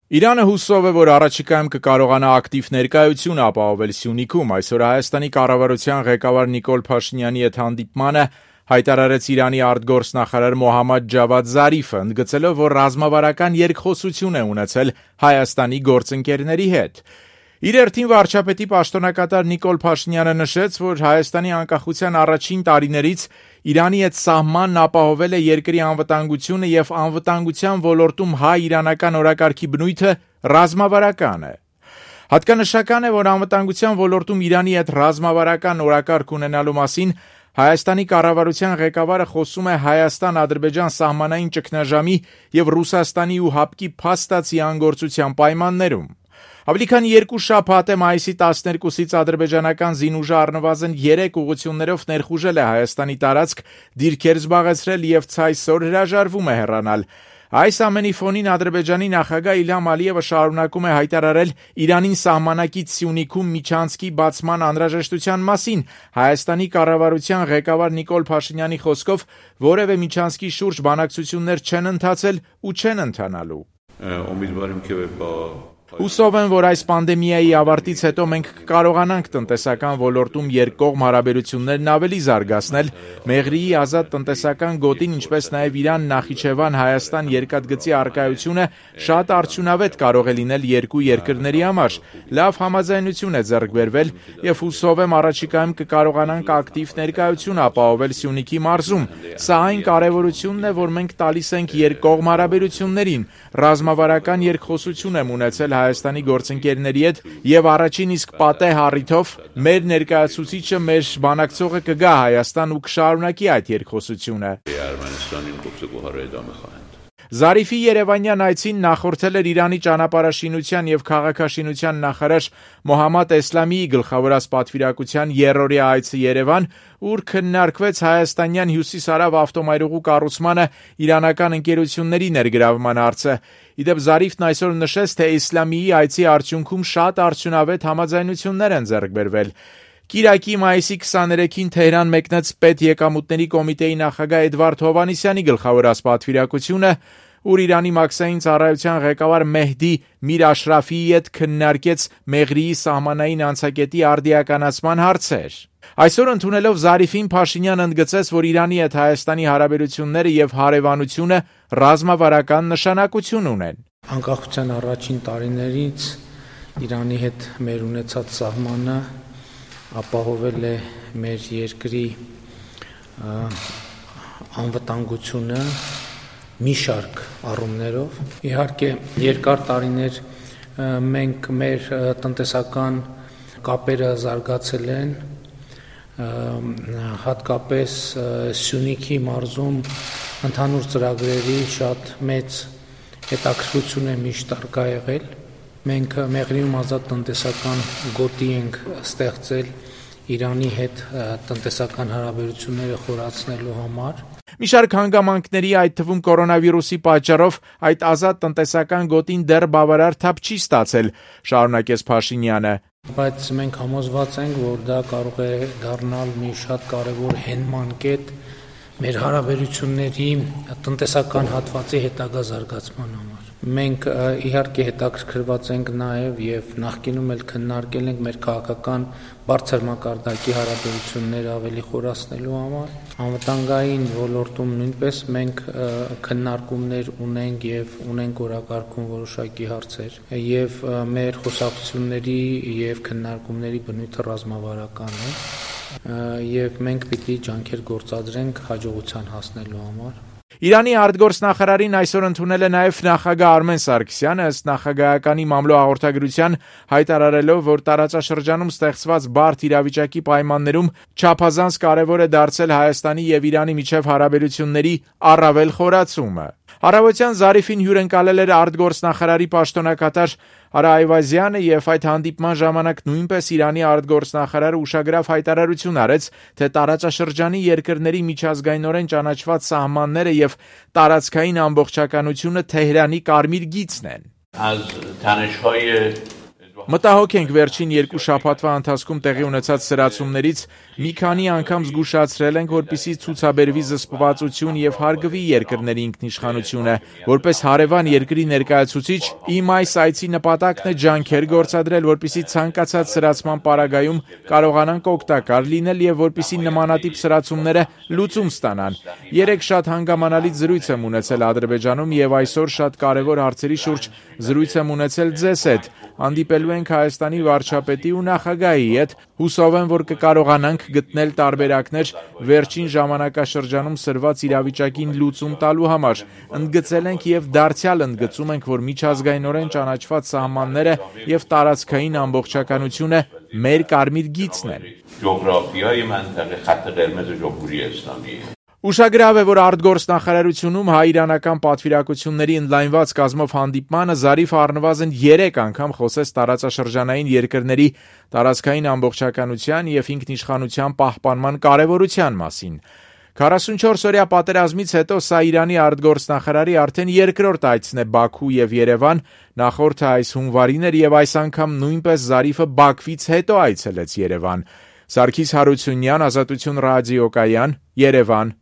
Իրանը հուսով է, որ առաջիկայում կկարողանա ակտիվ ներկայություն ապահովել Սյունիքում։ Այսօր Հայաստանի կառավարության ղեկավար Նիկոլ Փաշինյանի հետ հանդիպմանը հայտարարեց Իրանի արտգործնախարար Մոհամմադ Ջավադ Զարիֆը, ընդգծելով, որ ռազմավարական երկխոսություն է ունեցել Հայաստանի գործընկերների հետ։ Իր հերթին վարչապետի պաշտոնակատար Նիկոլ Փաշինյանը նշեց, որ Հայաստանի անկախության առաջին տարիներից Իրանի հետ սահմանն ապահովել է երկրի անվտանգությունը եւ անվտանգության ոլորտում հայ-իրանական օրակարգի բնույթը ռազմավարական է։ Հատկանշական է, որ անվտանգության ոլորտում Իրանի հետ ռազմավարական օրակարգ ունենալու մասին Հայաստանի կառավարության ղեկավարը խոսում է Հայաստան-Ադրբեջան սահմանային ճգնաժամի եւ Ռուսաստանի ու ՀԱՊԿ-ի փաստացի անգործության պայմաններում։ Ավելի քան 2 շաբաթ է մայիսի 12-ից ադրբեջանական զինուժը առնվազն 3 ուղղություններով ներխուժել է Հայաստանի տարածք, դիրքեր զբաղեցրել եւ ցայսօր հրաժարվում է հեռանալ։ Այս ամենի ֆոնին Ադրբեջանի նախագահ Իլհամ Ալիևը շարունակում է հայտարարել Իրանին սահմանակից Սյունիքում միջանցքի բացման անհրաժեշտության մասին։ Հայաստանի կառավարության ղեկավար Նիկոլ Փաշինյանի խոսքով որևէ միջանցքի շուրջ բանակցություններ չեն ընթացել ու չեն ընթանալու։ Հուսով եմ, որ այս պանդեմիայի ավարտից հետո մենք կկարողանանք տնտեսական ոլորտում երկկողմ հարաբերություններն ավելի զարգացնել, Մեղրիի ազատ տնտեսական գոտին, ինչպես նաև Իրան-Նախիջևան-Հայաստան երկաթգծի առկայությունը շատ արդյունավետ կարող է լինել երկու երկրների համար։ Լավ համաձայնություն է ձեռք բերվել եւ հուսով եմ առաջիկայում կկարողանանք ակտիվ ներկայություն ապահովել Սյունիքի մարզում։ Սա այն կարեւորությունն է, որ մենք տալիս ենք երկկողմ հարաբերություններին, ռազմավարական երկխոսություն եմ ունեցել Հայաստանի գործընկերների հետ եւ առաջին իսկ պատեհ առիթով մեր ներկայացուցիչը, մեր բանակցողը կգա Հայաստան ու կշարունակի այդ երկխոսությունը։ Զարիֆի երևանյան այցին նախորդել էր Իրանի ճանապարհաշինության եւ քաղաքաշինության նախարար Մոհամմադ Էսլամիի գլխավորած պատվիրակության երրորդյա այցը Երևան, ուր քննարկվեց հայաստանյան հյուսիս-հարավ ավտոմայրուղու կառուցմանը իրանական ընկերությունների ներգրավման հարցը։ Իդեպ Զարիֆն այսօր նշեց, թե Էսլամիի այցի արդյունքում շատ արդյունավետ համաձայնություններ են ձեռք բերվել։ Կիրակի մայիսի 23-ին Թեհրան մեկնեց Պետեկամուտների կոմիտեի նախագահ Էդվարդ Հովհաննիսյանի գլխավորած պատվիրակությունը, ուր Իրանի մաքսային ծառայության ղեկավար Մեհդի Միր Աշրաֆիի հետ քննարկեց Մեղրիի սահմանային անցակետի արդիականացման հարցեր։ Այսօր ընդունելով Զարիֆին, Փաշինյանը ընդգծեց, որ Իրանի հետ Հայաստանի հարաբերությունները եւ հարևանությունը ռազմավարական նշանակություն ունեն։ Անկախության առաջին տարիներից Իրանի հետ մեր ունեցած սահմանը ապահովել է մեր երկրի անվտանգությունը մի շարք առումներով։ Իհարկե, երկար տարիներ մենք մեր տնտեսական կապերը զարգացել են, հատկապես Սյունիքի մարզում ընդհանուր ծրագրերի շատ մեծ հետաքրքրություն է միշտ արկա եղել։ Մենք Մեղրիում ազատ տնտեսական գոտի ենք ստեղծել Իրանի հետ տնտեսական հարաբերությունները խորացնելու համար։ Մի շարք հանգամանքների, այդ թվում կորոնավիրուսի պատճառով այդ ազատ տնտեսական գոտին դեռ բավարար թափ չի ստացել, շարունակեց Փաշինյանը։ Բայց մենք համոզված ենք, որ դա կարող է դառնալ մի շատ կարևոր հենման կետ մեր հարաբերությունների տնտեսական հատվածի հետագա զարգացման համար։ Մենք իհարկե հետաքրքրված ենք նաև եւ նախկինում էլ քննարկել ենք մեր քաղաքական բարձր մակարդակի հարաբերությունները ավելի խորացնելու համար։ Անվտանգային ոլորտում նույնպես մենք քննարկումներ ունենք եւ ունենք օրակարգում որոշակի հարցեր եւ մեր խոսակցությունների եւ քննարկումների բնույթը ռազմավարական է եւ մենք պիտի ջանքեր գործադրենք հաջողության հասնելու համար։ Իրանի արտգործնախարարին այսօր ընդունել է նաև նախագահ Արմեն Սարգսյանը, ըստ նախագահականի մամլո հաղորդագրության հայտարարելով, որ տարածաշրջանում ստեղծված բարդ իրավիճակի պայմաններում չափազանց կարևոր է դարձել Հայաստանի եւ Իրանի միջև հարաբերությունների առավել խորացումը։ Առավոտյան Զարիֆին հյուրընկալել էր արտգործնախարարի պաշտոնակատար Արա Այվազյանը եւ այդ հանդիպման ժամանակ նույնպես Իրանի արտգործնախարարը ուշագրավ հայտարարություն արեց, թե տարածաշրջանի երկրների միջազգայինորեն ճանաչված սահմանները եւ տարածքային ամբողջականությունը Թեհրանի կարմիր գիծն են։ Մտահոգ ենք վերջին 2 շաբաթվա ընթացքում տեղի ունեցած սրացումներից, մի քանի անգամ զգուշացրել ենք, որպեսզի ցուցաբերվի զսպվածություն եւ հարգվի երկրների ինքնիշխանությունը։ Որպես հարևան երկրի ներկայացուցիչ, իմ այս այցի նպատակն է ջանքեր գործադրել, որպեսզի ցանկացած սրացման պարագայում կարողանանք օգտակար լինել եւ որպեսզի նմանատիպ սրացումները լուծում ստանան։ Երեք շատ հանգամանալից զրույց եմ ունեցել Ադրբեջանում եւ այսօր շատ կարեւոր հարցերի շուրջ զրույց եմ ունեցել ձեզ հետ։ Հանդիպելու ենք Հայաստանի վարչապետի ու նախագահի հետ, հուսով եմ, որ կկարողանանք գտնել տարբերակներ վերջին ժամանակաշրջանում սրված իրավիճակին լուծում տալու համար։ Ընդգծել ենք եւ դարձյալ ընդգծում ենք, որ միջազգայինորեն ճանաչված սահմանները եւ տարածքային ամբողջականությունը մեր կարմիր գիծն են։ Ջոգրաֆիայի մանտեղի խաթը դերմեզը ջոգուրի Իսլամի։ Ուշագրավ է, որ արտգործնախարարությունում հայ-իրանական պատվիրակությունների ընդլայնված կազմով հանդիպմանը Զարիֆը առնվազն 3 անգամ խոսեց տարածաշրջանային երկրների տարածքային ամբողջականության եւ ինքնիշխանության պահպանման կարեւորության մասին։ 44-օրյա պատերազմից հետո սա Իրանի արտգործնախարարի արդեն երկրորդ այցն է Բաքու եւ Երևան, նախորդը այս հունվարին էր եւ այս անգամ նույնպես Զարիֆը Բաքվից հետո այցելեց Երևան։ Սարգիս Հարությունյան, Ազատություն ռադիոկայան, Երևան։